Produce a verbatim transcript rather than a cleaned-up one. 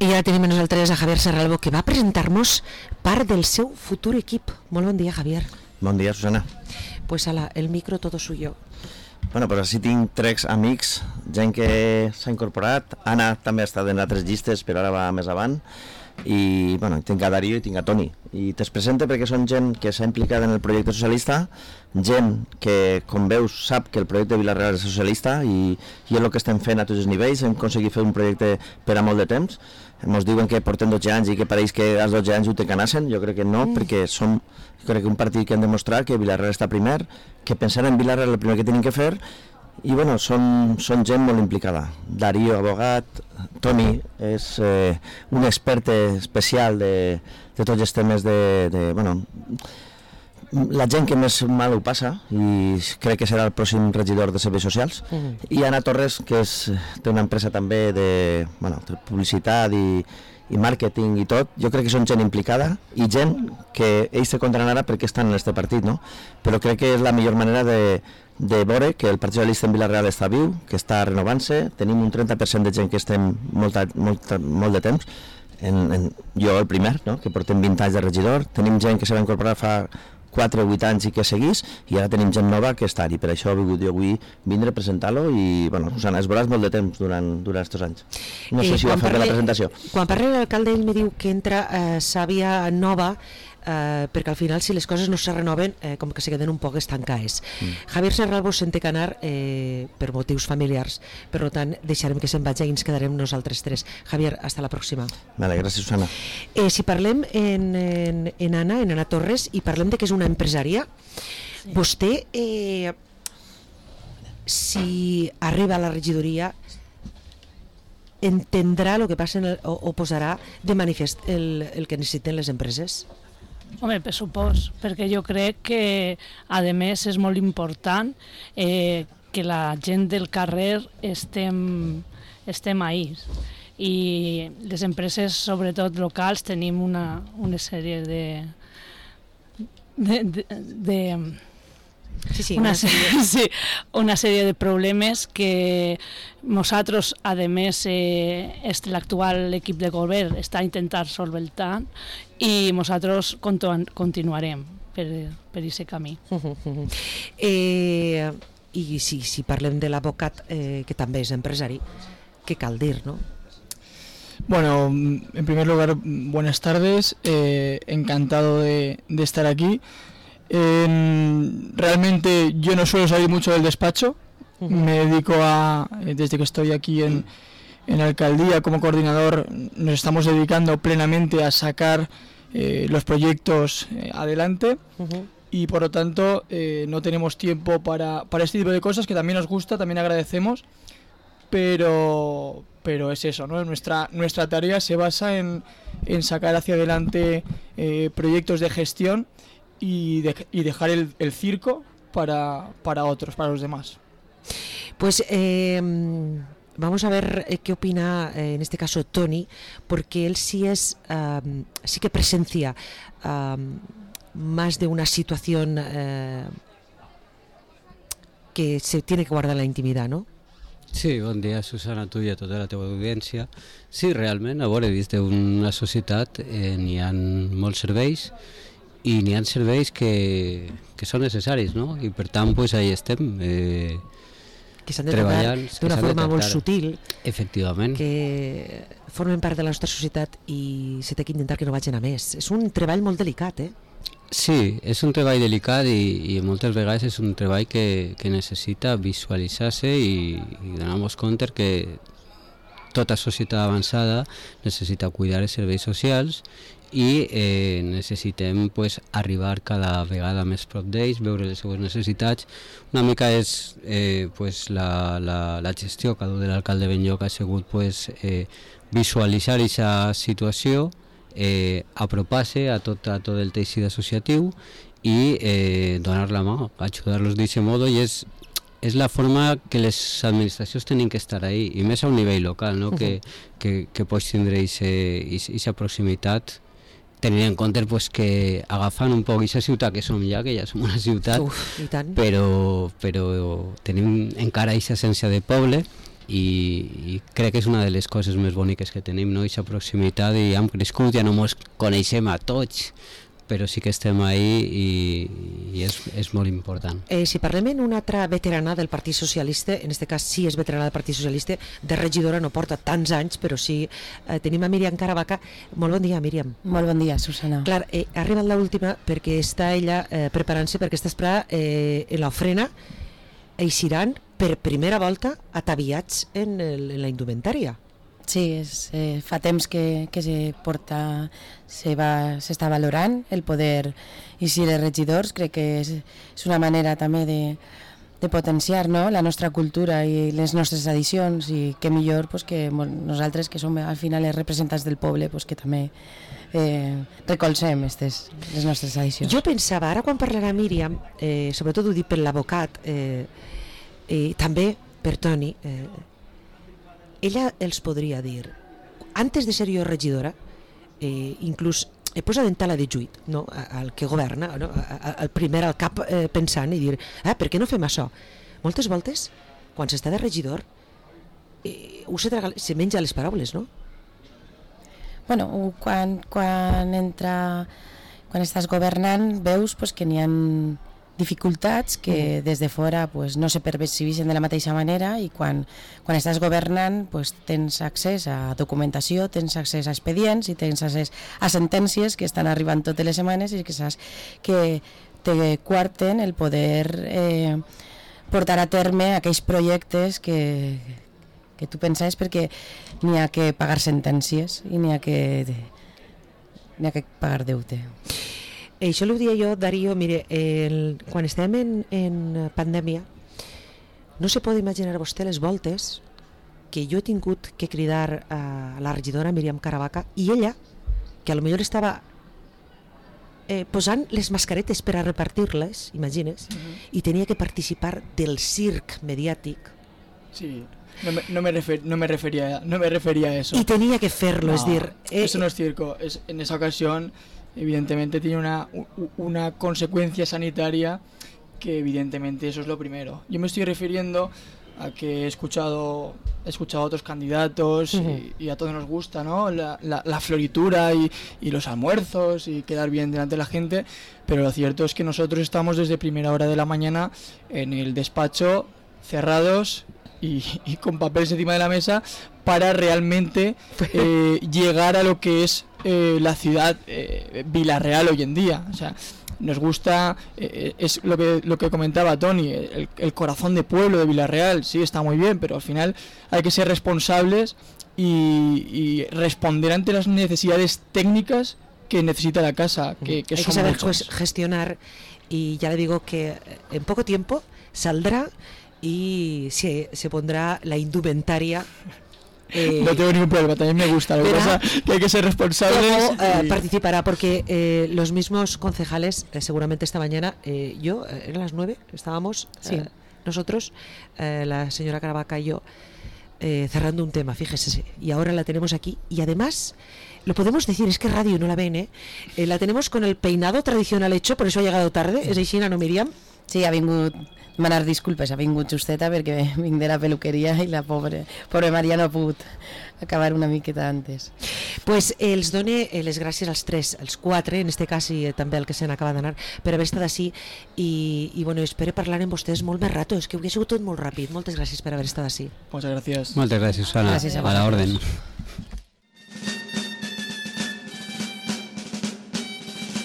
I ara tenim a nosaltres a Javier Serralbo, que va presentar-nos part del seu futur equip. Molt bon dia, Javier. Bon dia, Susana. Pues ala, el micro todo suyo. Bueno, pues així tinc tres amics, gent que s'ha incorporat. Anna també ha estat en altres llistes, però ara va més avant. I, bueno, tinc a Darío i tinc a Toni. I te'ls presento perquè són gent que s'ha implicat en el projecte socialista, gent que, com veus, sap que el projecte Vila-real és socialista i, i és el que estem fent a tots els nivells. Hem aconseguit fer un projecte per a molt de temps. Ens diuen que portem dotze anys i que pareix que als dotze anys ho te canassen. Jo crec que no, mm. perquè som crec que un partit que hem demostrat que Vila-real està primer, que pensant en Vila-real el primer que tenim que fer. I bueno, són, són gent molt implicada. Darío, abogat, Toni és eh, un expert especial de, de tots els temes de, de, bueno, la gent que més mal ho passa, i crec que serà el pròxim regidor de serveis socials. Mm. I Anna Torres, que és, té una empresa també de, bueno, de publicitat i, i màrqueting i tot. Jo crec que són gent implicada i gent que ells se comptaran ara perquè estan en aquest partit, no? Però crec que és la millor manera de, de veure que el Partit Socialista en Vila-real està viu, que està renovant-se. Tenim un trenta per cent de gent que estem molt, molt, molt de temps, en, en, jo el primer, no? Que portem vint anys de regidor. Tenim gent que se va incorporar fa quatre o vuit anys i que seguís, i ara tenim gent nova que està, i per això he vingut jo avui vindre a presentar-lo. I bueno, Susana, es veuràs molt de temps durant, durant aquests anys. No sé eh, si va fer bé la presentació. Quan parla l'alcalde, ell me diu que entra eh, sàvia nova, eh, perquè al final si les coses no se renoven eh, com que se queden un poc estancades. Mm. Javier Serralbo se'n té que anar eh, per motius familiars, per tant deixarem que se'n vagi i ens quedarem nosaltres tres. Javier, hasta la pròxima. Vale, gràcies, Susana. Eh, si parlem en, en, en Anna, en Anna Torres, i parlem de que és una empresària, sí. Vostè eh, si arriba a la regidoria entendrà el que passa en el, o, o posarà de manifest el, el que necessiten les empreses? Home, per supòs, perquè jo crec que a més és molt important eh, que la gent del carrer estem, estem ahí. I les empreses, sobretot locals, tenim una, una sèrie de... de, de, de Sí, sí, una, una, sèrie. Sí, una sèrie de problemes que nosaltres, a més, eh, l'actual equip de govern està intentant solventar i nosaltres continuarem per per aquest camí. Uh -huh. eh, I si, si parlem de l'advocat, eh, que també és empresari, què cal dir, no? Bueno, en primer lugar, buenas tardes, eh, encantado de, de estar aquí. Eh, realmente yo no suelo salir mucho del despacho, uh-huh. Me dedico a, desde que estoy aquí en, en la alcaldía como coordinador, nos estamos dedicando plenamente a sacar eh, los proyectos eh, adelante, uh-huh. Y por lo tanto eh, no tenemos tiempo para, para este tipo de cosas que también nos gusta, también agradecemos, pero, pero es eso, ¿no? Nuestra, nuestra tarea se basa en, en sacar hacia adelante eh, proyectos de gestión Y, de, y dejar el, el circo para, para otros, para los demás. Pues eh, vamos a ver eh, qué opina eh, en este caso Toni, porque él sí es um, sí que presencia um, más de una situación uh, que se tiene que guardar la intimidad, ¿no? Sí, bon dia, Susana, tu i a tota la teva audiència. Sí, realment, a veure, dins d'una societat eh, n'hi ha molts serveis i n'hi ha serveis que, que són necessaris, no? I per tant, pues, ahí estem eh, que s'han de treballar d'una forma molt sutil, efectivament, que formen part de la nostra societat i se té que intentar que no vagin a més. És un treball molt delicat, eh? Sí, és un treball delicat i, i moltes vegades és un treball que, que necessita visualitzar-se i, i donar-nos compte que tota societat avançada necessita cuidar els serveis socials i eh, necessitem pues, arribar cada vegada més prop d'ells, veure les seues necessitats. Una mica és eh, pues, la, la, la gestió que ha dut l'alcalde Benlloc ha sigut pues, eh, visualitzar aquesta situació, eh, apropar-se a tot, a tot el teixit associatiu i eh, donar la mà, ajudar-los d'aquest modo, i és, és la forma que les administracions tenen que estar ahí, i més a un nivell local, no? Uh-huh. que, que, que pots tindre aquesta proximitat, tenint en compte pues, que agafant un poc aquesta ciutat que som ja, que ja som una ciutat, Uf, i tant. però, però tenim encara aquesta essència de poble i, i crec que és una de les coses més boniques que tenim, no? Aquesta proximitat, i hem crescut, ja no ens coneixem a tots, però sí que estem ahí i, i és, és molt important. Eh, si parlem en una altra veterana del Partit Socialista, en aquest cas sí és veterana del Partit Socialista, de regidora no porta tants anys, però sí eh, tenim a Míriam Caravaca. Molt bon dia, Míriam. Molt bon dia, Susana. Clar, eh, ha arribat l'última perquè està ella eh, preparant-se perquè està esperada eh, en l'ofrena, eixiran per primera volta ataviats en, el, en la indumentària. Sí, és, eh, fa temps que, que se porta, se va, s'està valorant el poder eixir els regidors. Crec que és, és una manera també de, de potenciar, no?, la nostra cultura i les nostres tradicions, i que millor pues, que nosaltres, que som al final els representants del poble, pues, que també eh, recolzem estes, les nostres tradicions. Jo pensava, ara quan parlarà Míriam, eh, sobretot ho dic per l'advocat, eh, eh, també per Toni, eh, ella els podria dir, antes de ser jo regidora, eh, inclús he posat en tala de juit, no?, al que governa, no?, al primer al cap eh, pensant i dir, ah, per què no fem això? Moltes voltes, quan s'està de regidor, eh, ho se, traga, se menja les paraules, no? Bueno, quan, quan entra, quan estàs governant, veus pues, que n'hi ha dificultats que des de fora pues, no se percebeixen de la mateixa manera, i quan, quan estàs governant pues, tens accés a documentació, tens accés a expedients i tens accés a sentències que estan arribant totes les setmanes i que saps que te quarten el poder eh, portar a terme aquells projectes que, que tu pensaves, perquè n'hi ha que pagar sentències i n'hi ha que, n'hi ha que pagar deute. Eh, això ho dia jo, Darío, mire, el, quan estem en, en pandèmia, no se pot imaginar vostè les voltes que jo he tingut que cridar a la regidora Míriam Caravaca, i ella, que a lo millor estava eh, posant les mascaretes per a repartir-les, imagines, uh-huh. i tenia que participar del circ mediàtic. Sí, no me, no me, refer, no me, refería, no me refería a eso. Y tenía que hacerlo, no, es decir... Eh, eso no es circo, es, en esa ocasión evidentemente tiene una, una consecuencia sanitaria que evidentemente eso es lo primero. Yo me estoy refiriendo a que he escuchado, he escuchado a otros candidatos uh-huh. y, y a todos nos gusta, ¿no?, la, la, la floritura y, y los almuerzos y quedar bien delante de la gente, pero lo cierto es que nosotros estamos desde primera hora de la mañana en el despacho cerrados y, y con papeles encima de la mesa para realmente eh, llegar a lo que es eh, la ciudad eh, Vila-real hoy en día. O sea, nos gusta, eh, es lo que lo que comentaba Toni, el, el corazón de pueblo de Vila-real, sí, está muy bien, pero al final hay que ser responsables y, y responder ante las necesidades técnicas que necesita la casa, que, que hay son que saber muchas. gestionar, y ya le digo que en poco tiempo saldrá y se, se pondrá la indumentaria. Eh, no tengo ningún problema, también me gusta, lo que pasa es que hay que ser responsables. Cómo, eh, y... participará, porque eh, los mismos concejales, eh, seguramente esta mañana, eh, yo, eh, eran las nueve, estábamos sí. eh, nosotros, eh, la señora Caravaca y yo, eh, cerrando un tema, fíjese, y ahora la tenemos aquí, y además, lo podemos decir, es que radio no la ven, eh, eh la tenemos con el peinado tradicional hecho, por eso ha llegado tarde, és així, no, Míriam? Sí, ha vingut, demanar disculpes, ha vingut justeta perquè vinc de la peluqueria i la pobre, pobre Maria no ha pogut acabar una miqueta antes. Pues eh, els done eh, les gràcies als tres, als quatre, en este cas, i eh, també al que se n'acaba d'anar, per haver estat així, i, i bueno, espero parlar amb vostès molt més rato, és que ho ha sigut tot molt ràpid. Moltes gràcies per haver estat així. Moltes gràcies. Moltes gràcies, Susana. Gràcies a a la orden.